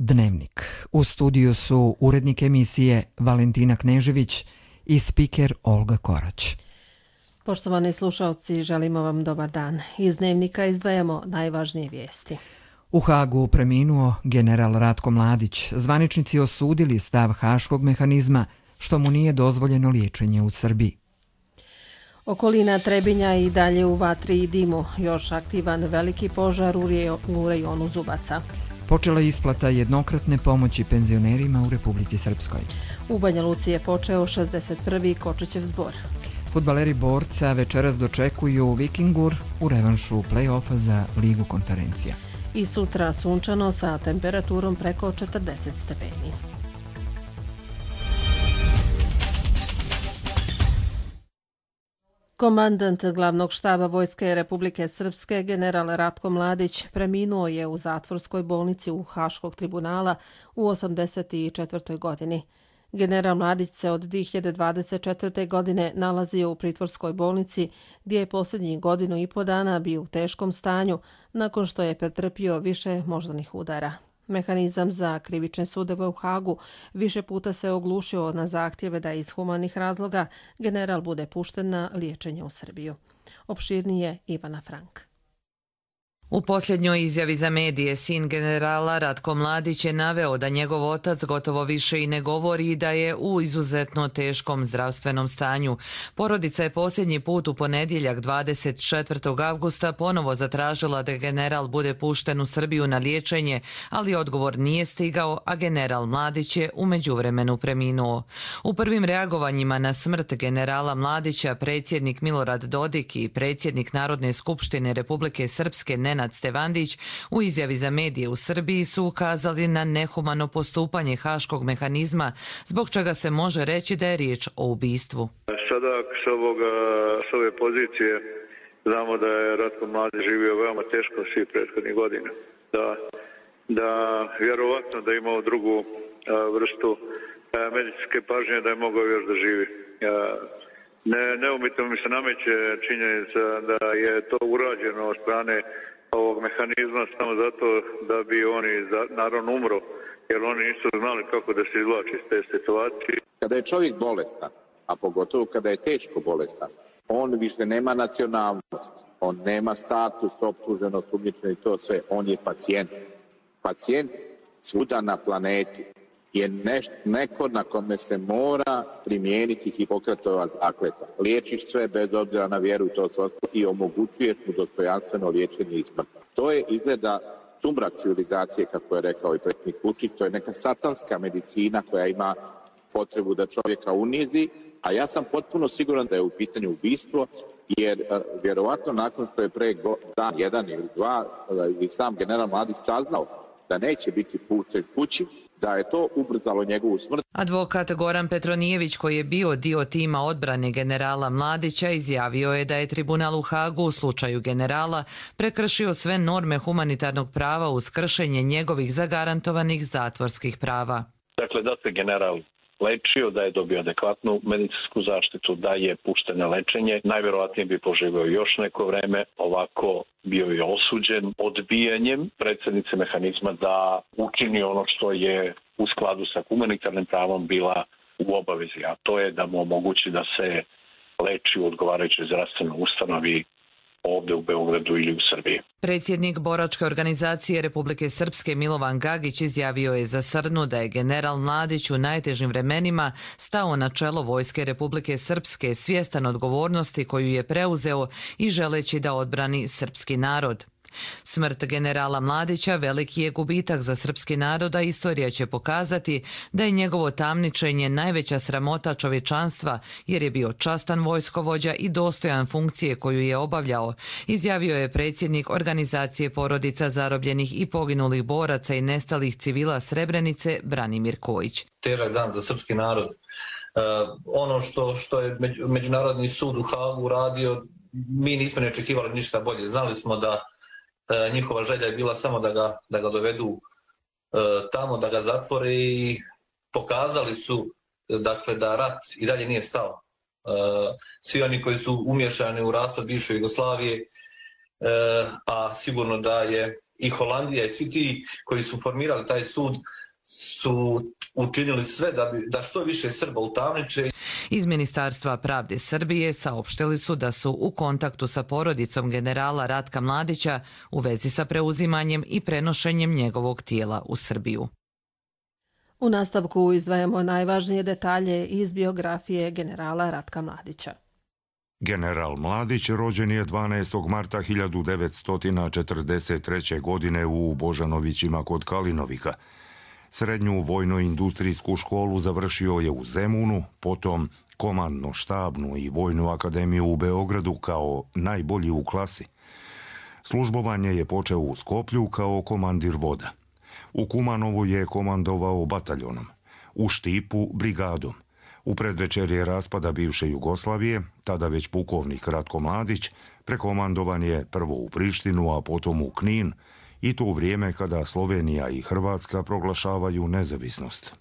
Dnevnik. U studiju su urednik emisije Valentina Knežević i spiker Olga Korać. Poštovani slušalci, želimo vam dobar dan. Iz Dnevnika izdvajamo najvažnije vijesti. U Hagu preminuo general Ratko Mladić. Zvaničnici osudili stav haškog mehanizma što mu nije dozvoljeno liječenje u Srbiji. Okolina Trebinja i dalje u vatri i dimu. Još aktivan veliki požar u rejonu Zubaca. Počela isplata jednokratne pomoći penzionerima u Republici Srpskoj. U Banja Luci je počeo 61. Kočićev zbor. Fudbaleri Borca večeras dočekuju Vikingur u revanšu play-offa za Ligu konferencija. I sutra sunčano sa temperaturom preko 40 stepeni. Komandant glavnog štaba Vojske Republike Srpske, general Ratko Mladić, preminuo je u zatvorskoj bolnici u Haškog tribunala u 84. godini. General Mladić se od 2024. godine nalazio u pritvorskoj bolnici gdje je posljednjih godinu i po dana bio u teškom stanju nakon što je pretrpio više moždanih udara. Mehanizam za krivične sudove u Hagu više puta se oglušio na zahtjeve da iz humanih razloga general bude pušten na liječenje u Srbiju. Opširnije Ivana Frank. U posljednjoj izjavi za medije sin generala Ratko Mladić je naveo da njegov otac gotovo više i ne govori i da je u izuzetno teškom zdravstvenom stanju. Porodica je posljednji put u ponedjeljak 24. avgusta ponovo zatražila da general bude pušten u Srbiju na liječenje, ali odgovor nije stigao, a general Mladić je u međuvremenu preminuo. U prvim reagovanjima na smrt generala Mladića predsjednik Milorad Dodik i predsjednik Narodne skupštine Republike Srpske Nenad Stevandić u izjavi za medije u Srbiji su ukazali na nehumano postupanje haškog mehanizma, zbog čega se može reći da je riječ o ubistvu. Sada s ove pozicije znamo da je Ratko Mladić živio veoma teško svih prethodnih godina. Da vjerovatno da je imao drugu vrstu medicinske pažnje, da je mogao još da živi. Neumitno mi se nameće činjenica da je to urađeno od strane ovog mehanizma samo zato da bi oni naravno umro, jer oni nisu znali kako da se izvlači iz te situacije. Kada je čovjek bolestan, a pogotovo kada je teško bolestan, on više nema nacionalnost, on nema status, optuženo, sumnjičeno i to sve, on je pacijent. Pacijent svuda na planeti je neko na kome se mora primijeniti Hipokratova zakletva. Liječiš sve bez obzira na vjeru to sve i omogućuješ mu dostojanstveno liječenje i smrt. To je izgleda sumrak civilizacije, kako je rekao i predsjednik Vučić, to je neka satanska medicina koja ima potrebu da čovjeka unizi, a ja sam potpuno siguran da je u pitanju ubistvo, jer vjerovatno nakon što je pre dan, jedan ili dva, i sam general Mladić saznao da neće biti pušten kući, da je to ubrzalo njegovu smrt. Advokat Goran Petronijević, koji je bio dio tima odbrane generala Mladića, izjavio je da je tribunal u Hagu u slučaju generala prekršio sve norme humanitarnog prava uz kršenje njegovih zagarantovanih zatvorskih prava. Dakle, da se general lečio, da je dobio adekvatnu medicinsku zaštitu, da je pušten na lečenje, najvjerovatnije bi poživio još neko vreme, ovako bio je osuđen odbijanjem predsjednice mehanizma da učini ono što je u skladu sa humanitarnim pravom bila u obavezi, a to je da mu omogući da se leči u odgovarajućoj zdravstvenoj ustanovi ovdje u Beogradu ili u Srbiji. Predsjednik boračke organizacije Republike Srpske Milovan Gagić izjavio je za Srnu da je general Mladić u najtežim vremenima stao na čelo Vojske Republike Srpske svjestan odgovornosti koju je preuzeo i želeći da odbrani srpski narod. Smrt generala Mladića veliki je gubitak za srpski narod, a istorija će pokazati da je njegovo tamničenje najveća sramota čovječanstva jer je bio častan vojskovođa i dostojan funkcije koju je obavljao, izjavio je predsjednik organizacije porodica zarobljenih i poginulih boraca i nestalih civila Srebrenice Branimir Kojić. Težak dan za srpski narod. Ono što je Međunarodni sud u Hagu uradio, mi nismo ne očekivali ništa bolje. Znali smo da njihova želja je bila samo da ga dovedu tamo, da ga zatvore i pokazali su dakle, da rat i dalje nije stao. Svi oni koji su umješani u raspad bivše Jugoslavije, a sigurno da je i Holandija i svi ti koji su formirali taj sud su učinili sve da što više Srba utamniče. Iz Ministarstva pravde Srbije saopštili su da su u kontaktu sa porodicom generala Ratka Mladića u vezi sa preuzimanjem i prenošenjem njegovog tijela u Srbiju. U nastavku izdvajamo najvažnije detalje iz biografije generala Ratka Mladića. General Mladić rođen je 12. marta 1943. godine u Božanovićima kod Kalinovika. Srednju vojno-industrijsku školu završio je u Zemunu, potom komandno-štabnu i vojnu akademiju u Beogradu kao najbolji u klasi. Službovanje je počeo u Skoplju kao komandir voda. U Kumanovu je komandovao bataljonom, u Štipu brigadom. U predvečerje raspada bivše Jugoslavije, tada već pukovnik Ratko Mladić, prekomandovan je prvo u Prištinu, a potom u Knin, i to u vrijeme kada Slovenija i Hrvatska proglašavaju nezavisnost.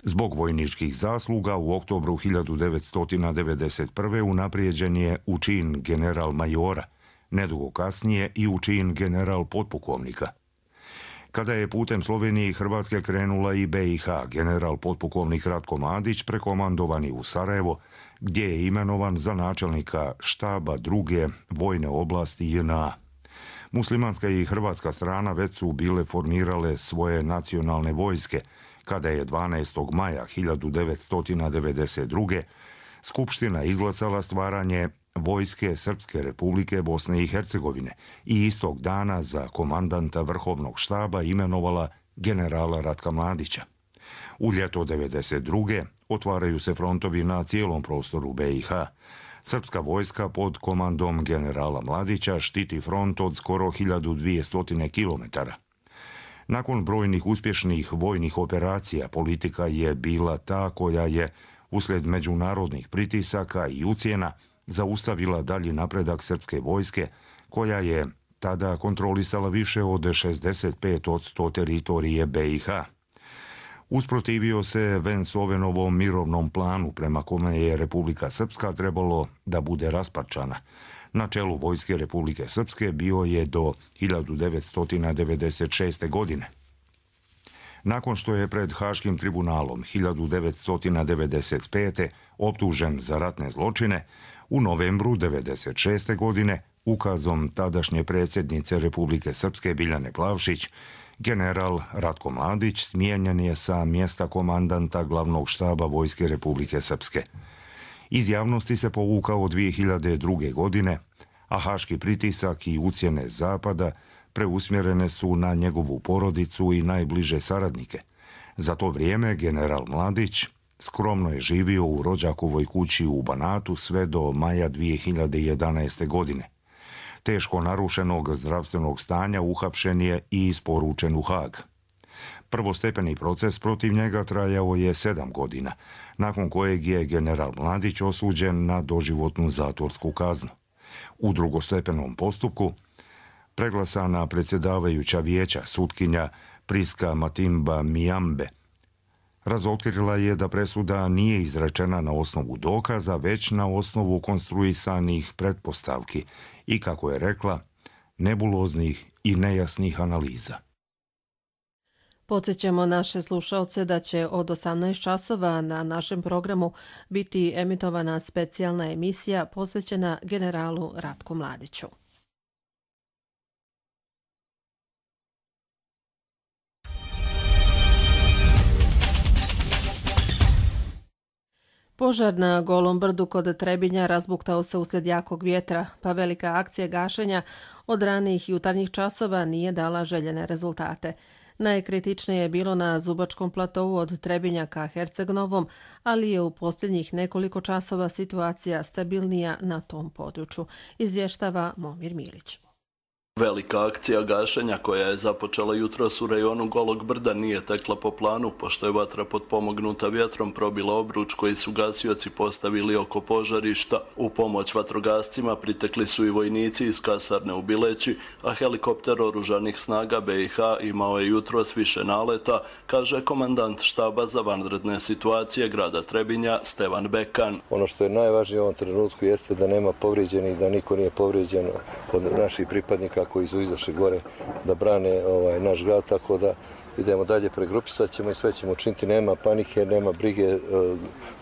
Zbog vojničkih zasluga u oktobru 1991. unaprijeđen je u čin general majora, nedugo kasnije i u čin general potpukovnika. Kada je putem Slovenije i Hrvatske krenula i BiH, general potpukovnik Ratko Mladić prekomandovan je u Sarajevo, gdje je imenovan za načelnika štaba druge vojne oblasti JNA. Muslimanska i hrvatska strana već su bile formirale svoje nacionalne vojske, kada je 12. maja 1992. Skupština izglasala stvaranje Vojske Srpske republike Bosne i Hercegovine i istog dana za komandanta vrhovnog štaba imenovala generala Ratka Mladića. U ljeto 1992. otvaraju se frontovi na cijelom prostoru BiH. Srpska vojska pod komandom generala Mladića štiti front od skoro 1200 kilometara. Nakon brojnih uspješnih vojnih operacija, politika je bila ta koja je, uslijed međunarodnih pritisaka i ucjena, zaustavila dalji napredak srpske vojske, koja je tada kontrolisala više od 65% teritorije BiH. Usprotivio se Vance-Owenovom mirovnom planu prema kome je Republika Srpska trebalo da bude rasparčana. Na čelu vojske Republike Srpske bio je do 1996. godine. Nakon što je pred Haškim tribunalom 1995. optužen za ratne zločine, u novembru 1996. godine ukazom tadašnje predsjednice Republike Srpske Biljane Plavšić, general Ratko Mladić smijenjen je sa mjesta komandanta glavnog štaba Vojske Republike Srpske. Iz javnosti se povukao 2002. godine, a haški pritisak i ucjene Zapada preusmjerene su na njegovu porodicu i najbliže saradnike. Za to vrijeme general Mladić skromno je živio u rođakovoj kući u Banatu sve do maja 2011. godine. Teško narušenog zdravstvenog stanja uhapšen je i isporučen u Haag. Prvostepeni proces protiv njega trajao je 7 godina, nakon kojeg je general Mladić osuđen na doživotnu zatvorsku kaznu. U drugostepenom postupku preglasana predsjedavajuća vijeća sutkinja Priska Matimba Mijambe razotkrila je da presuda nije izrečena na osnovu dokaza, već na osnovu konstruisanih pretpostavki i, kako je rekla, nebuloznih i nejasnih analiza. Podsjećamo naše slušalce da će od 18 časova na našem programu biti emitovana specijalna emisija posvećena generalu Ratku Mladiću. Požar na Golom brdu kod Trebinja razbuktao se uslijed jakog vjetra, pa velika akcija gašenja od ranih jutarnjih časova nije dala željene rezultate. Najkritičnije je bilo na Zubačkom platovu od Trebinja ka Herceg-Novom, ali je u posljednjih nekoliko časova situacija stabilnija na tom području, izvještava Momir Milić. Velika akcija gašenja koja je započela jutros u rejonu Golog brda nije tekla po planu, pošto je vatra potpomognuta vjetrom probila obruč koji su gasioci postavili oko požarišta. U pomoć vatrogascima pritekli su i vojnici iz kasarne u Bileći, a helikopter oružanih snaga BiH imao je jutros više naleta, kaže komandant štaba za vanredne situacije grada Trebinja Stevan Bekan. Ono što je najvažnije u ovom trenutku jeste da nema povrijeđenih, da niko nije povrijeđen od naših pripadnika vojnika koji su izašli gore da brane naš grad, tako da idemo dalje, pregrupisat ćemo i sve ćemo učiniti, nema panike, nema brige,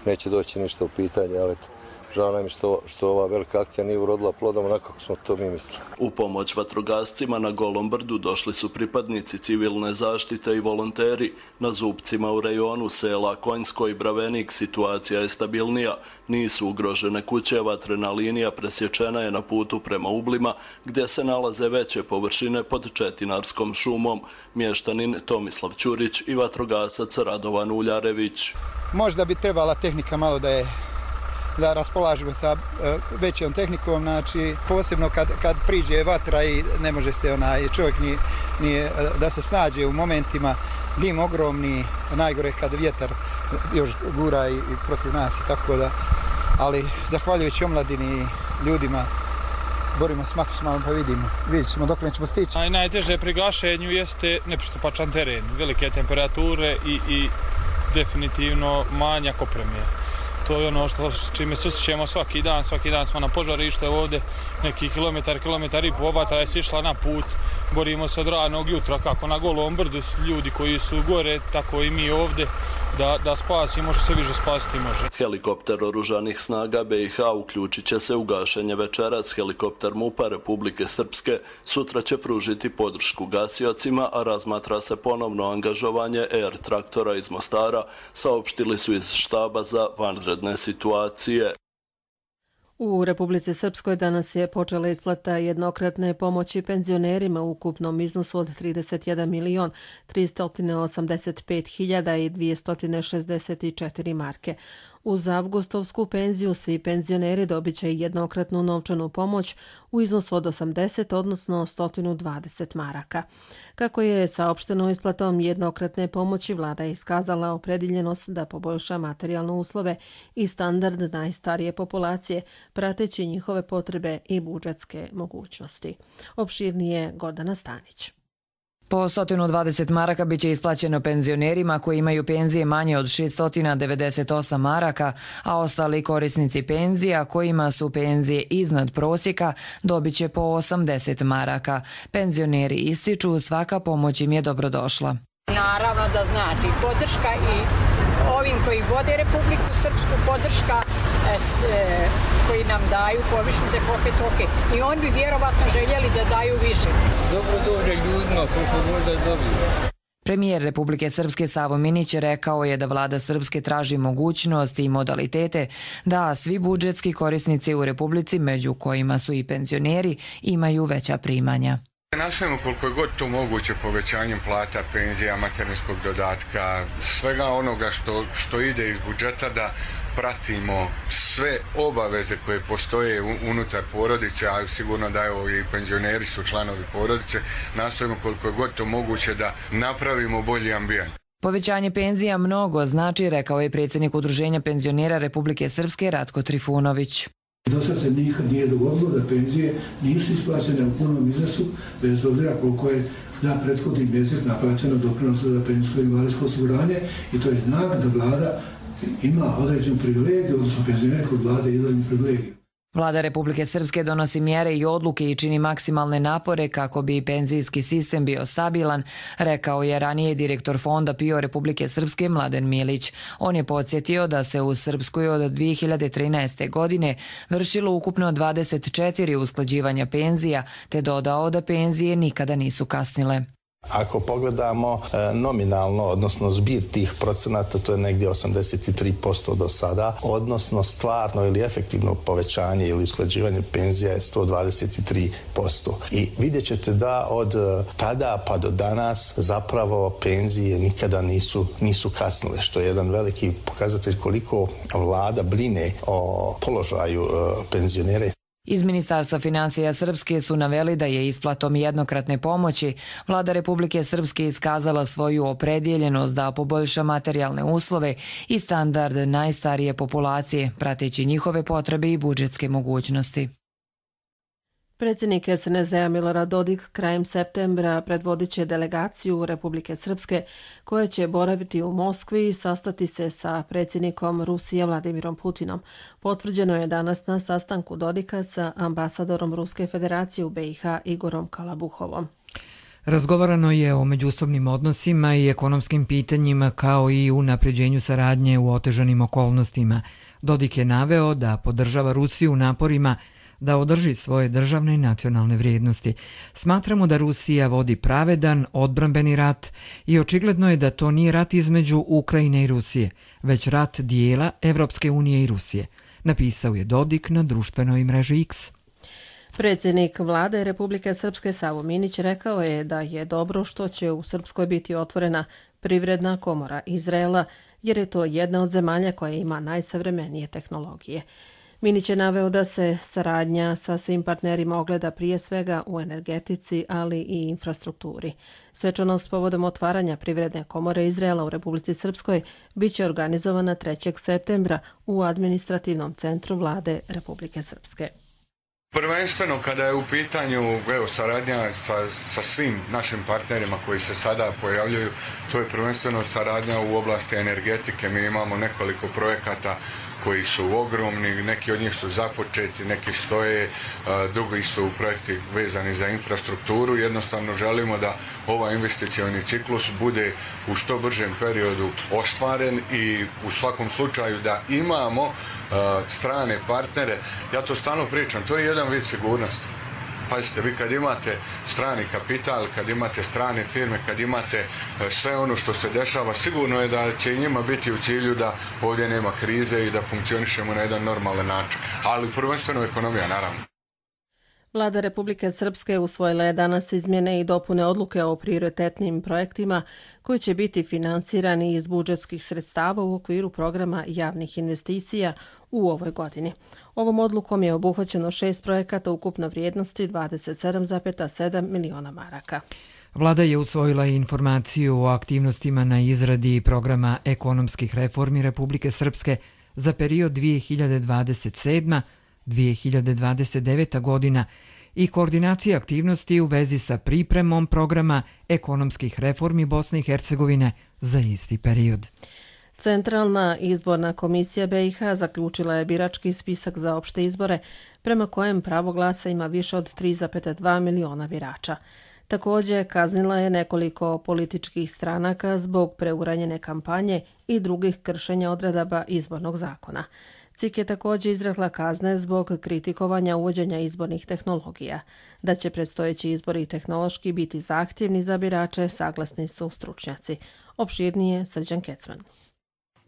neće doći ništa u pitanje, ali žao nam je što ova velika akcija nije urodila plodom onako kako smo to mi mislili. U pomoć vatrogascima na Golom brdu došli su pripadnici civilne zaštite i volonteri. Na Zupcima u rejonu sela Konjsko i Bravenik situacija je stabilnija. Nisu ugrožene kuće, vatrena linija presječena je na putu prema Ublima, gdje se nalaze veće površine pod Četinarskom šumom. Mještanin Tomislav Ćurić i vatrogasac Radovan Uljarević. Možda bi trebala tehnika malo da raspolažemo sa većom tehnikom, znači posebno kad priđe vatra i ne može se čovjek ni da se snađe u momentima, dim ogromni, najgore kad vjetar još gura i protiv nas i tako da, ali zahvaljujući omladini i ljudima borimo s maksimalno, pa vidjet ćemo dok nećemo stići. Najteže pri gašenju jeste nepristupačan teren, velike temperature i definitivno manjak opreme. To je ono čime se susrećemo svaki dan smo na požarištu, ovdje neki kilometar i po, vatra je sišla na put, borimo se od ranog jutra kako na Golom brdu, ljudi koji su gore, tako i mi ovdje, da spasimo što se više spasiti može. Helikopter oružanih snaga BiH uključit će se u gašenje večerac. Helikopter MUP-a Republike Srpske sutra će pružiti podršku gasiocima, a razmatra se ponovno angažovanje Air traktora iz Mostara, saopštili su iz štaba za vanredne situacije. U Republici Srpskoj danas je počela isplata jednokratne pomoći penzionerima u ukupnom iznosu od 31.385.264 marke. Uz avgustovsku penziju svi penzioneri dobit će jednokratnu novčanu pomoć u iznosu od 80, odnosno 120 maraka. Kako je saopšteno isplatom jednokratne pomoći, vlada je iskazala opredjeljenost da poboljša materijalne uslove i standard najstarije populacije, prateći njihove potrebe i budžetske mogućnosti. Opširnije Gordana Stanić. Po 120 maraka biće isplaćeno penzionerima koji imaju penzije manje od 698 maraka, a ostali korisnici penzija kojima su penzije iznad prosjeka dobit će po 80 maraka. Penzioneri ističu svaka pomoć im je dobrodošla. Naravno da znači podrška i ovim koji vode Republiku Srpsku, podrška koji nam daju povišice koliko toke. I oni bi vjerovatno željeli da daju više. Dobro dođe ljudima koliko možda dobiju. Premijer Republike Srpske Savo Minić rekao je da vlada Srpske traži mogućnosti i modalitete da svi budžetski korisnici u Republici, među kojima su i penzioneri, imaju veća primanja. Nastavimo koliko je god to moguće povećanjem plata, penzija, materinskog dodatka, svega onoga što ide iz budžeta, da pratimo sve obaveze koje postoje unutar porodice, a sigurno da i penzioneri su članovi porodice, nastavimo koliko je god to moguće da napravimo bolji ambijent. Povećanje penzija mnogo znači, rekao je predsjednik Udruženja penzionera Republike Srpske Ratko Trifunović. Do sad se nikad nije dogodilo da penzije nisu isplaćene u punom iznosu, bez obzira koliko je za prethodni mjesec naplaćeno doprinosa za penzijsko i invalidsko osiguranje, i to je znak da vlada ima određenu privilegiju, odnosno penzioneri kod vlade izvanrednu privilegiju. Vlada Republike Srpske donosi mjere i odluke i čini maksimalne napore kako bi penzijski sistem bio stabilan, rekao je ranije direktor Fonda PIO Republike Srpske Mladen Milić. On je podsjetio da se u Srpskoj od 2013. godine vršilo ukupno 24 usklađivanja penzija, te dodao da penzije nikada nisu kasnile. Ako pogledamo nominalno, odnosno zbir tih procenata, to je negdje 83% do sada, odnosno stvarno ili efektivno povećanje ili usklađivanje penzija je 123%. I vidjet ćete da od tada pa do danas zapravo penzije nikada nisu kasnile, što je jedan veliki pokazatelj koliko vlada brine o položaju penzionera. Iz Ministarstva financija Srpske su naveli da je isplatom jednokratne pomoći vlada Republike Srpske iskazala svoju opredjeljenost da poboljša materijalne uslove i standard najstarije populacije, prateći njihove potrebe i budžetske mogućnosti. Predsjednik SNSD-a Milorad Dodik krajem septembra predvodit će delegaciju Republike Srpske koja će boraviti u Moskvi i sastati se sa predsjednikom Rusije Vladimirom Putinom. Potvrđeno je danas na sastanku Dodika sa ambasadorom Ruske federacije u BiH Igorom Kalabuhovom. Razgovarano je o međusobnim odnosima i ekonomskim pitanjima kao i unapređenju saradnje u otežanim okolnostima. Dodik je naveo da podržava Rusiju u naporima da održi svoje državne i nacionalne vrijednosti. Smatramo da Rusija vodi pravedan, odbrambeni rat i očigledno je da to nije rat između Ukrajine i Rusije, već rat dijela Evropske unije i Rusije, napisao je Dodik na društvenoj mreži X. Predsjednik vlade Republike Srpske Savo Minić rekao je da je dobro što će u Srpskoj biti otvorena privredna komora Izraela, jer je to jedna od zemalja koja ima najsavremenije tehnologije. Minić je naveo da se saradnja sa svim partnerima ogleda prije svega u energetici, ali i infrastrukturi. Svečanost povodom otvaranja privredne komore Izraela u Republici Srpskoj biće organizovana 3. septembra u administrativnom centru vlade Republike Srpske. Prvenstveno kada je u pitanju saradnja sa svim našim partnerima koji se sada pojavljuju, to je prvenstveno saradnja u oblasti energetike. Mi imamo nekoliko projekata koji su ogromni, neki od njih su započeti, neki stoje, drugi su projekti vezani za infrastrukturu. Jednostavno želimo da ovaj investicioni ciklus bude u što bržem periodu ostvaren i u svakom slučaju da imamo strane partnere. Ja to stalno pričam, to je jedan vid sigurnosti. Pazite, vi kad imate strani kapital, kad imate strane firme, kad imate sve ono što se dešava, sigurno je da će i njima biti u cilju da ovdje nema krize i da funkcionišemo na jedan normalan način. Ali prvenstveno ekonomija, naravno. Vlada Republike Srpske usvojila je danas izmjene i dopune odluke o prioritetnim projektima koji će biti finansirani iz budžetskih sredstava u okviru programa javnih investicija u ovoj godini. Ovom odlukom je obuhvaćeno 6 projekata ukupno vrijednosti 27,7 miliona maraka. Vlada je usvojila informaciju o aktivnostima na izradi programa ekonomskih reformi Republike Srpske za period 2027-2029 godina i koordinacija aktivnosti u vezi sa pripremom programa ekonomskih reformi Bosne i Hercegovine za isti period. Centralna izborna komisija BiH zaključila je birački spisak za opšte izbore, prema kojem pravo glasa ima više od 3,2 miliona birača. Također kaznila je nekoliko političkih stranaka zbog preuranjene kampanje i drugih kršenja odredaba izbornog zakona. CIK je također izrekla kazne zbog kritikovanja uvođenja izbornih tehnologija. Da će predstojeći izbori tehnološki biti zahtjevni za birače, saglasni su stručnjaci. Opširnije Srđan Kecman.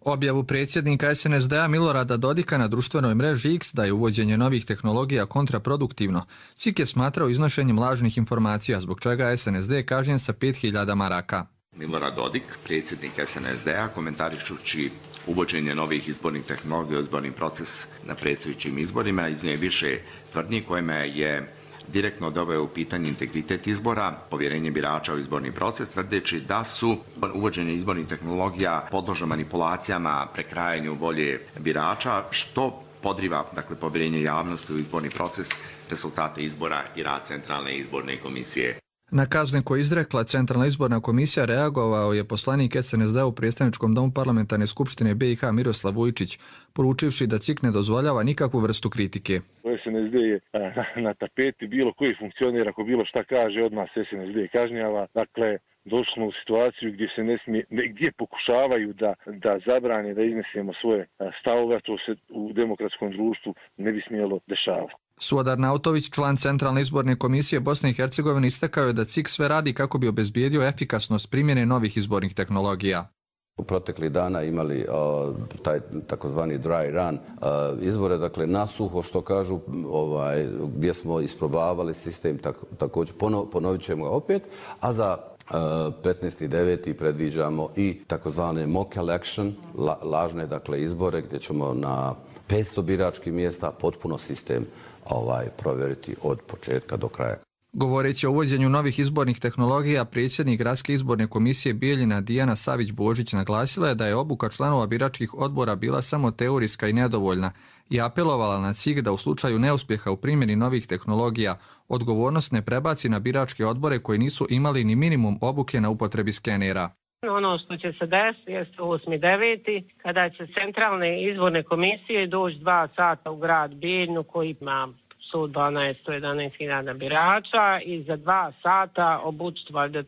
Objavu predsjednika SNSD-a Milorada Dodika na društvenoj mreži X da je uvođenje novih tehnologija kontraproduktivno, CIK je smatrao iznošenjem lažnih informacija, zbog čega SNSD kažnjen sa 5.000 maraka. Milorad Dodik, predsjednik SNSD-a, komentarišući uvođenje novih izbornih tehnologija u izborni proces na predstojećim izborima, iznio je više tvrdnji kojima je direktno doveo u pitanje integritet izbora, povjerenje birača u izborni proces, tvrdeći da su uvođenje izbornih tehnologija podložno manipulacijama, prekrajanju volje birača, što podriva povjerenje javnosti u izborni proces, rezultate izbora i rad Centralne izborne komisije. Na kazne koje izrekla Centralna izborna komisija reagovao je poslanik SNSD-a u predstavničkom domu parlamentarne skupštine BiH Miroslav Vujčić, poručivši da CIK ne dozvoljava nikakvu vrstu kritike. SNSD je na tapeti, bilo koji funkcioner, ako bilo šta kaže, odmah se SNSD kažnjava. Dakle, došli smo u situaciju gdje se ne smije, gdje pokušavaju da zabrane, da iznesemo svoje stavove, to se u demokratskom društvu ne bi smjelo dešavati. Suodar Nautović, član Centralne izborne komisije Bosne i Hercegovine, istakao je da CIK sve radi kako bi obezbijedio efikasnost primjene novih izbornih tehnologija. U proteklih dana imali taj takozvani dry run izbore, dakle nasuho što kažu, gdje smo isprobavali sistem, također ponovit ćemo ga opet, a za 15.9. predviđamo i takozvane mock election, lažne izbore gdje ćemo na 500 biračkih mjesta potpuno sistem provjeriti od početka do kraja. Govoreći o uvođenju novih izbornih tehnologija, predsjednik Gradske izborne komisije Bijeljina Dijana Savić-Božić naglasila je da je obuka članova biračkih odbora bila samo teorijska i nedovoljna, i apelovala na CIG da u slučaju neuspjeha u primjeni novih tehnologija odgovornost ne prebaci na biračke odbore koji nisu imali ni minimum obuke na upotrebi skenera. Ono što će se desiti jeste 8.9. kada će centralne izborne komisije doći 2 sata u grad Bijeljnu koji ima 111.000 birača i za 2 sata obučiti valjda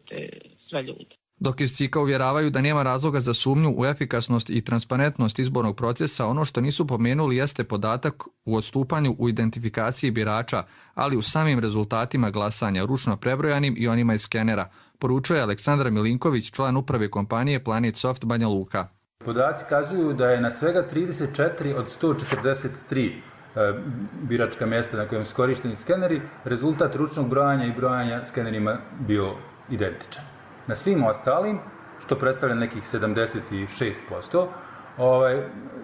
sve ljude. Dok iz CIK-a uvjeravaju da nema razloga za sumnju u efikasnost i transparentnost izbornog procesa, ono što nisu pomenuli jeste podatak u odstupanju u identifikaciji birača, ali u samim rezultatima glasanja, ručno prebrojanim i onima iz skenera, poručuje Aleksandar Milinković, član uprave kompanije Planet Soft Banja Luka. Podaci kazuju da je na svega 34 od 143 biračka mjesta na kojem su korišteni skeneri, rezultat ručnog brojanja i brojanja skenerima bio identičan. Na svim ostalim, što predstavlja nekih 76%,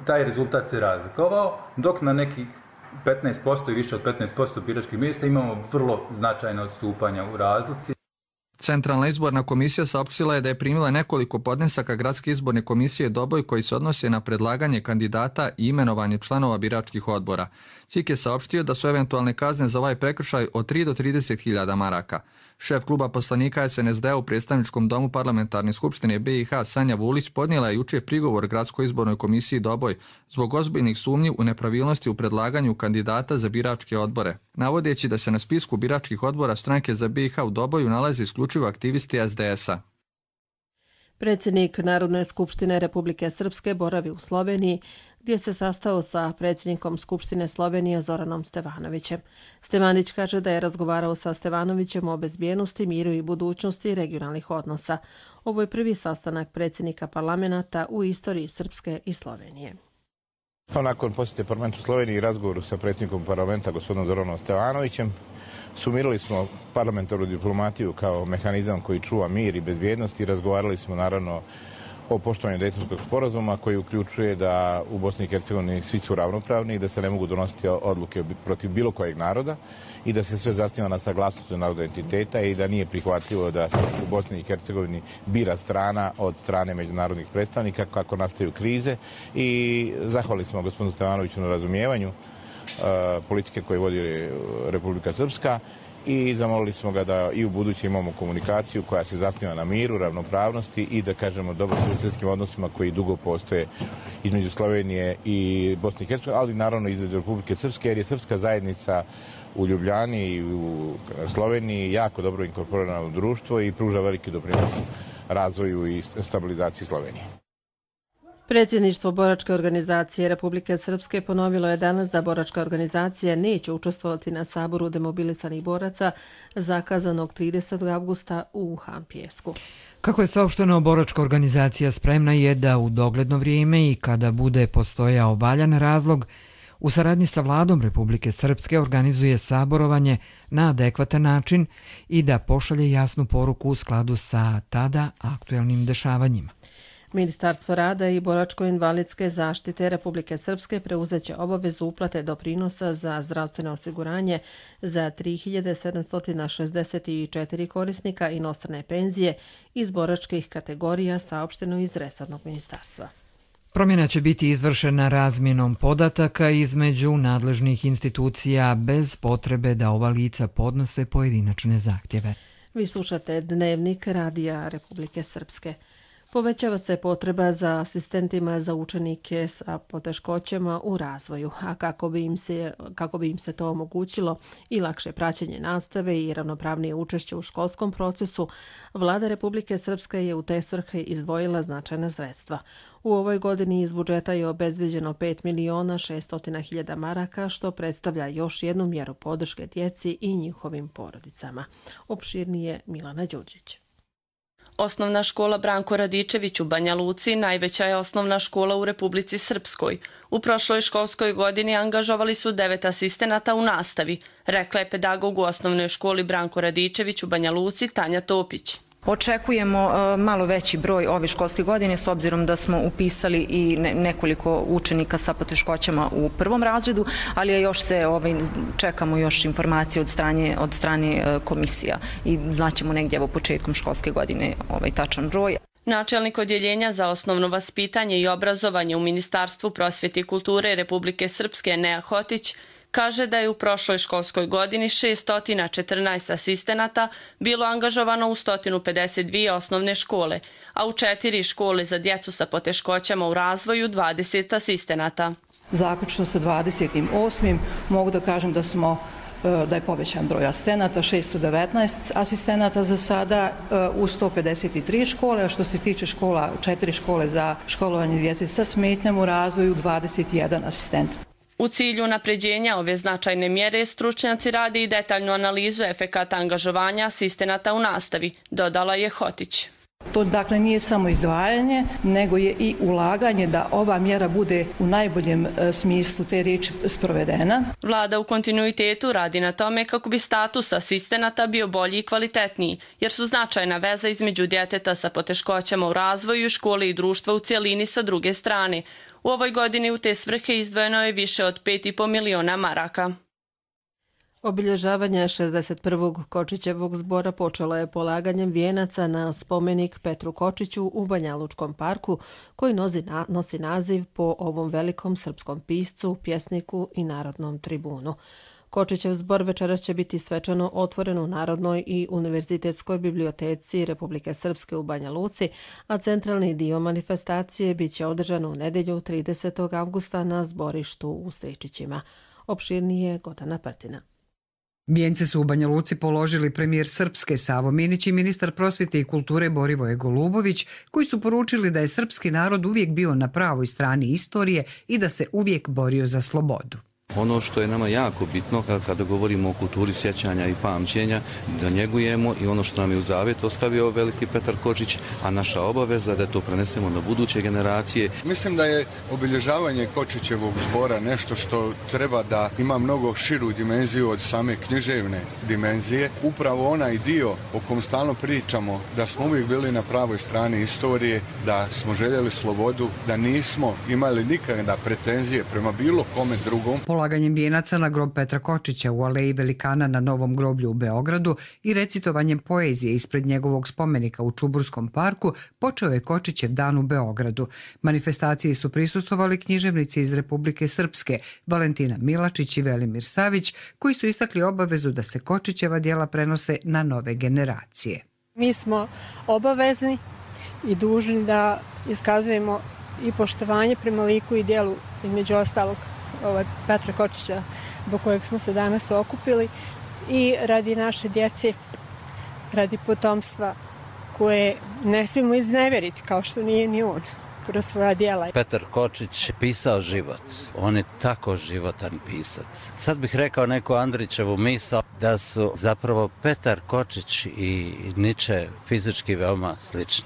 taj rezultat se razlikovao, dok na nekih 15% i više od 15% biračkih mjesta imamo vrlo značajna odstupanja u razlici. Centralna izborna komisija saopštila je da je primila nekoliko podnesaka Gradske izborne komisije Doboj koji se odnose na predlaganje kandidata i imenovanje članova biračkih odbora. CIK je saopštio da su eventualne kazne za ovaj prekršaj od 3 do 30.000 maraka. Šef kluba poslanika SNSD u predstavničkom domu parlamentarne skupštine BiH Sanja Vulić podnijela je jučer prigovor Gradskoj izbornoj komisiji Doboj zbog ozbiljnih sumnji u nepravilnosti u predlaganju kandidata za biračke odbore, navodeći da se na spisku biračkih odbora stranke za BiH u Doboju nalaze isključivo aktivisti SDS-a. Predsjednik Narodne skupštine Republike Srpske boravi u Sloveniji, gdje se sastao sa predsjednikom Skupštine Slovenije Zoranom Stevanovićem. Stevanić kaže da je razgovarao sa Stevanovićem o bezbjednosti, miru i budućnosti regionalnih odnosa. Ovo je prvi sastanak predsjednika parlamenta u istoriji Srpske i Slovenije. Nakon posjete parlamentu Sloveniji i razgovoru sa predsjednikom parlamenta gospodinom Zoranom Stevanovićem, sumirali smo parlamentarnu diplomatiju kao mehanizam koji čuva mir i bezbjednost i razgovarali smo naravno o poštovanju Dejtonskog sporazuma koji uključuje da u Bosni i Hercegovini svi su ravnopravni i da se ne mogu donositi odluke protiv bilo kojeg naroda i da se sve zasniva na saglasnosti naroda entiteta i da nije prihvatljivo da se u Bosni i Hercegovini bira strana od strane međunarodnih predstavnika kako nastaju krize i zahvalili smo gospodinu Stevanoviću na razumijevanju politike koje vodi Republika Srpska i zamolili smo ga da i u buduće imamo komunikaciju koja se zasniva na miru, ravnopravnosti i da kažemo dobrosusjedskim odnosima koji dugo postoje između Slovenije i Bosne i Hercegovine, ali naravno između Republike Srpske, jer je srpska zajednica u Ljubljani i u Sloveniji jako dobro inkorporirana u društvo i pruža veliki doprinos razvoju i stabilizaciji Slovenije. Predsjedništvo Boračke organizacije Republike Srpske ponovilo je danas da Boračka organizacija neće učestvovati na saboru demobilisanih boraca zakazanog 30. avgusta u Hampijesku. Kako je saopšteno, Boračka organizacija spremna je da u dogledno vrijeme i kada bude postojao valjan razlog, u saradnji sa vladom Republike Srpske organizuje saborovanje na adekvatan način i da pošalje jasnu poruku u skladu sa tada aktuelnim dešavanjima. Ministarstvo rada i boračko-invalidske zaštite Republike Srpske preuzeće obavezu uplate doprinosa za zdravstveno osiguranje za 3764 korisnika inostrane penzije iz boračkih kategorija, saopšteno iz resornog ministarstva. Promjena će biti izvršena razmjenom podataka između nadležnih institucija bez potrebe da ova lica podnose pojedinačne zahtjeve. Vi slušate Dnevnik Radija Republike Srpske. Povećava se potreba za asistentima za učenike sa poteškoćama u razvoju, a kako bi im se to omogućilo i lakše praćenje nastave i ravnopravnije učešće u školskom procesu, Vlada Republike Srpske je u te svrhe izdvojila značajna sredstva. U ovoj godini iz budžeta je obezbeđeno 5.600.000 maraka, što predstavlja još jednu mjeru podrške djeci i njihovim porodicama. Opširnije Milana Đurđić. Osnovna škola Branko Radičević u Banja Luci najveća je osnovna škola u Republici Srpskoj. U prošloj školskoj godini angažovali su 9 asistenata u nastavi, rekla je pedagog u osnovnoj školi Branko Radičević u Banja Luci Tanja Topić. Očekujemo malo veći broj ove školske godine s obzirom da smo upisali i nekoliko učenika sa poteškoćama u prvom razredu, ali još se čekamo još informacije od strane komisija i znaćemo negdje početkom školske godine tačan broj. Načelnik odjeljenja za osnovno vaspitanje i obrazovanje u Ministarstvu prosvjete i kulture Republike Srpske Nea Hotić kaže da je u prošloj školskoj godini 614 asistenata bilo angažovano u 152 osnovne škole, a u 4 škole za djecu sa poteškoćama u razvoju 20 asistenata. Zaključno sa 28. mogu da kažem da je povećan broj asistenata, 619 asistenata za sada u 153 škole, a što se tiče škola, 4 škole za školovanje djece sa smetnjama u razvoju, 21 asistent. U cilju napređenja ove značajne mjere, stručnjaci rade i detaljnu analizu efekata angažovanja asistenata u nastavi, dodala je Hotić. To dakle nije samo izdvajanje, nego je i ulaganje da ova mjera bude u najboljem smislu te riječi sprovedena. Vlada u kontinuitetu radi na tome kako bi status asistenata bio bolji i kvalitetniji, jer su značajna veza između djeteta sa poteškoćama u razvoju, škole i društva u cijelini sa druge strane. U ovoj godini u te svrhe izdvojeno je više od 5,5 miliona maraka. Obilježavanje 61. Kočićevog zbora počelo je polaganjem vijenaca na spomenik Petru Kočiću u Banjalučkom parku, koji nosi naziv po ovom velikom srpskom piscu, pjesniku i narodnom tribunu. Kočićev zbor večeras će biti svečano otvoren u Narodnoj i univerzitetskoj biblioteci Republike Srpske u Banja Luci, a centralni dio manifestacije bit će održan u nedjelju 30. avgusta na zborištu u Stričićima. Opširnije Gordana Prtina. Vijence su u Banja Luci položili premijer Srpske Savo Minić i ministar prosvjete i kulture Borivoje Golubović, koji su poručili da je srpski narod uvijek bio na pravoj strani istorije i da se uvijek borio za slobodu. Ono što je nama jako bitno kada govorimo o kulturi sjećanja i pamćenja, da njegujemo i ono što nam je u zavjet ostavio veliki Petar Kočić, a naša obaveza da to prenesemo na buduće generacije. Mislim da je obilježavanje Kočićevog zbora nešto što treba da ima mnogo širu dimenziju od same književne dimenzije. Upravo onaj dio o kom stalno pričamo, da smo uvijek bili na pravoj strani istorije, da smo željeli slobodu, da nismo imali nikada pretenzije prema bilo kome drugom. Polaganjem vijenaca na grob Petra Kočića u Aleji Velikana na Novom groblju u Beogradu i recitovanjem poezije ispred njegovog spomenika u Čuburskom parku počeo je Kočićev dan u Beogradu. Manifestaciji su prisustvovali književnici iz Republike Srpske, Valentina Milačić i Velimir Savić, koji su istakli obavezu da se Kočićeva djela prenose na nove generacije. Mi smo obavezni i dužni da iskazujemo i poštovanje prema liku i djelu, između ostalog Petra Kočića, zbog kojeg smo se danas okupili, i radi naše djece, radi potomstva koje ne smijemo izneveriti, kao što nije ni on kroz svoja djela. Petar Kočić je pisao život. On je tako životan pisac. Sad bih rekao neku Andrićevu misao da su zapravo Petar Kočić i Niče fizički veoma slični.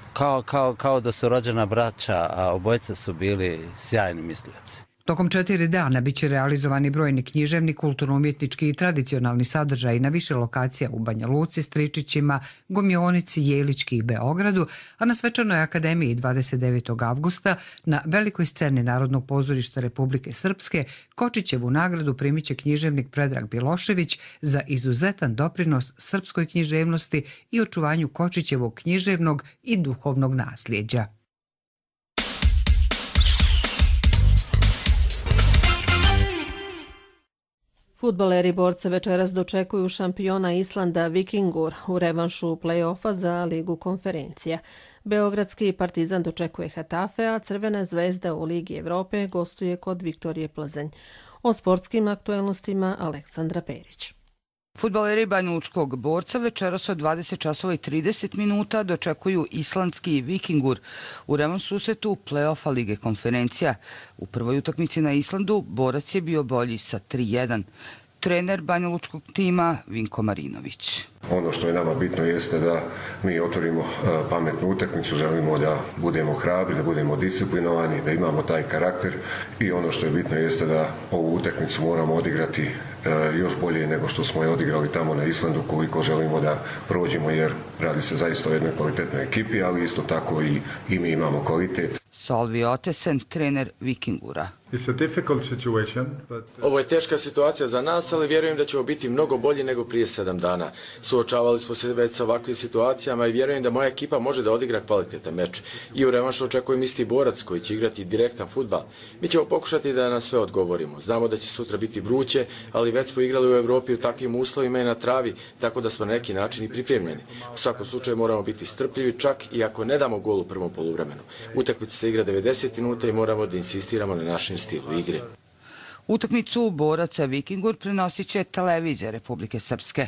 Kao da su rođena braća, a obojica su bili sjajni mislioci. Tokom 4 dana biće realizovani brojni književni, kulturno-umjetnički i tradicionalni sadržaji na više lokacija u Banja Luci, Stričićima, Gomionici, Jelički i Beogradu, a na Svečanoj akademiji 29. avgusta na velikoj sceni Narodnog pozorišta Republike Srpske Kočićevu nagradu primit će književnik Predrag Bilošević za izuzetan doprinos srpskoj književnosti i očuvanju Kočićevog književnog i duhovnog nasljeđa. Fudbaleri borca večeras dočekuju šampiona Islanda Vikingur u revanšu play-offa za Ligu konferencija. Beogradski Partizan dočekuje Hetafe, a Crvena zvezda u Ligi Evrope gostuje kod Viktorije Plzeň. O sportskim aktuelnostima Aleksandra Perić. Fudbaleri Banjalučkog borca večeras od 20:30 dočekuju islandski Vikingur u revanš susretu play-offa Lige konferencija. U prvoj utakmici na Islandu borac je bio bolji sa 3:1. Trener banjalučkog tima Vinko Marinović. Ono što je nama bitno jeste da mi otvorimo pametnu utakmicu, želimo da budemo hrabri, da budemo disciplinovani, da imamo taj karakter i ono što je bitno jeste da ovu utakmicu moramo odigrati još bolje nego što smo je odigrali tamo na Islandu, koliko želimo da prođemo, jer radi se zaista o jednoj kvalitetnoj ekipi, ali isto tako i mi imamo kvalitet. Solvi Otesen, trener Vikingura. Ovo je teška situacija za nas, ali vjerujem da ćemo biti mnogo bolji nego prije 7 dana. Suočavali smo se već sa ovakvim situacijama i vjerujem da moja ekipa može da odigra kvalitetan meč. I u revanšu očekujem isti borac koji će igrati direktan fudbal. Mi ćemo pokušati da na sve odgovorimo. Znamo da će sutra biti vruće, ali već smo igrali u Evropi u takvim uslovima i na travi, tako da smo na neki način i pripremljeni. U svakom slučaju moramo biti strpljivi, čak i ako ne damo gol u prvom poluvremenu. Utakmica se igra 90 minuta i moramo da insistiramo na našem stilu igre. Utakmicu boraca Vikingur prenosit će televizija Republike Srpske.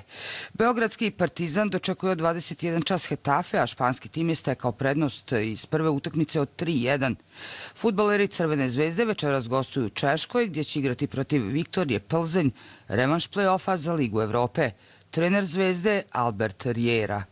Beogradski Partizan dočekuje od 21 čas Hetafe, a španski tim je stekao prednost iz prve utakmice od 3-1. Fudbaleri Crvene zvezde večeras gostuju u Češkoj, gdje će igrati protiv Viktorije Plzeň, revanš play-offa za Ligu Evrope. Trener Zvezde Albert Riera.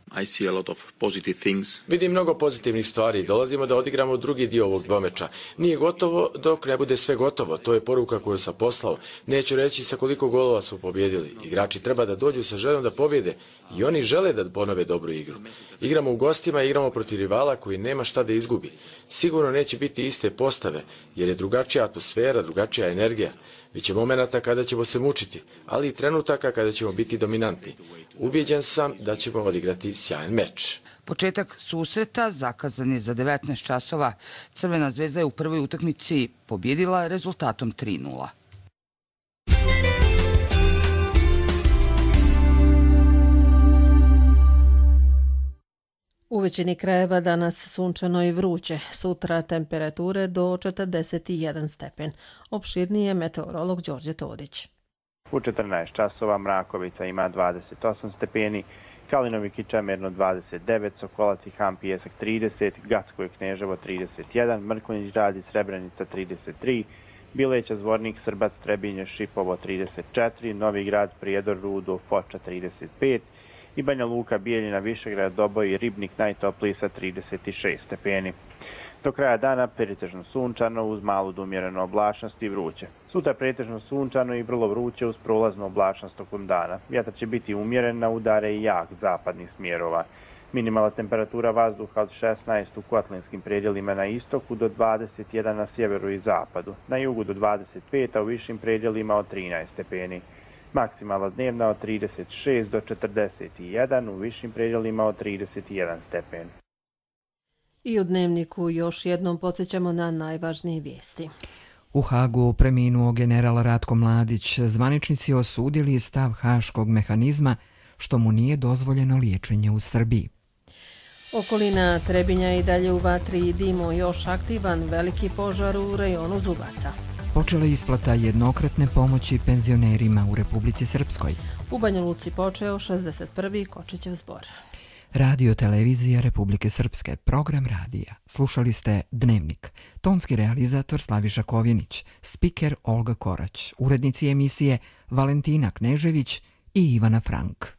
Vidim mnogo pozitivnih stvari. Dolazimo da odigramo drugi dio ovog dvomeča. Nije gotovo dok ne bude sve gotovo. To je poruka koju sam poslao. Neću reći sa koliko golova smo pobjedili. Igrači treba da dođu sa željom da pobjede i oni žele da ponove dobru igru. Igramo u gostima i igramo protiv rivala koji nema šta da izgubi. Sigurno neće biti iste postave, jer je drugačija atmosfera, drugačija energija. Biće momenata kada ćemo se mučiti, ali i trenutaka kada ćemo biti dominantni. Ubijeđen sam da ćemo odigrati sjajan meč. Početak susreta zakazan je za 19 časova. Crvena zvezda je u prvoj utakmici pobjedila rezultatom 3-0. U većini krajeva danas sunčano i vruće, sutra temperature do 41 stepen. Opširnije meteorolog Đorđe Todić. U 14 časova Mrakovica ima 28 stepeni, Kalinovi Kičamerno 29, Sokolac i Ham Pijesak 30, Gacko i Kneževo 31, Mrkonjić Rad i Srebrenica 33, Bileća Zvornik, Srbac, Trebinje, Šipovo 34, Novi Grad, Prijedor, Rudo, Foča 35, i Banja Luka, Bijeljina, Višegrad, Doboj i Ribnik najtopliji sa 36 stepeni. Do kraja dana pretežno sunčano uz malu do umjerenu oblačnost i vruće. Sutra pretežno sunčano i vrlo vruće uz prolaznu oblačnost tokom dana. Vjetar će biti umjeren, na udare i jak zapadnih smjerova. Minimalna temperatura vazduha od 16 u kotlinskim predjelima na istoku do 21 na sjeveru i zapadu. Na jugu do 25, a u višim predjelima od 13 stepeni. Maksimalna dnevna od 36 do 41, u višim predjelima od 31 stepen. I u Dnevniku još jednom podsjećamo na najvažnije vijesti. U Hagu preminuo general Ratko Mladić. Zvaničnici osudili stav haškog mehanizma što mu nije dozvoljeno liječenje u Srbiji. Okolina Trebinja i dalje u vatri i dimu, još aktivan veliki požar u rajonu Zubaca. Počela je isplata jednokratne pomoći penzionerima u Republici Srpskoj. U Banja Luci počeo 61. Kočićev zbor. Radio televizija Republike Srpske, program radija. Slušali ste Dnevnik. Tonski realizator Slaviša Kovjenić, spiker Olga Korać, urednici emisije Valentina Knežević i Ivana Frank.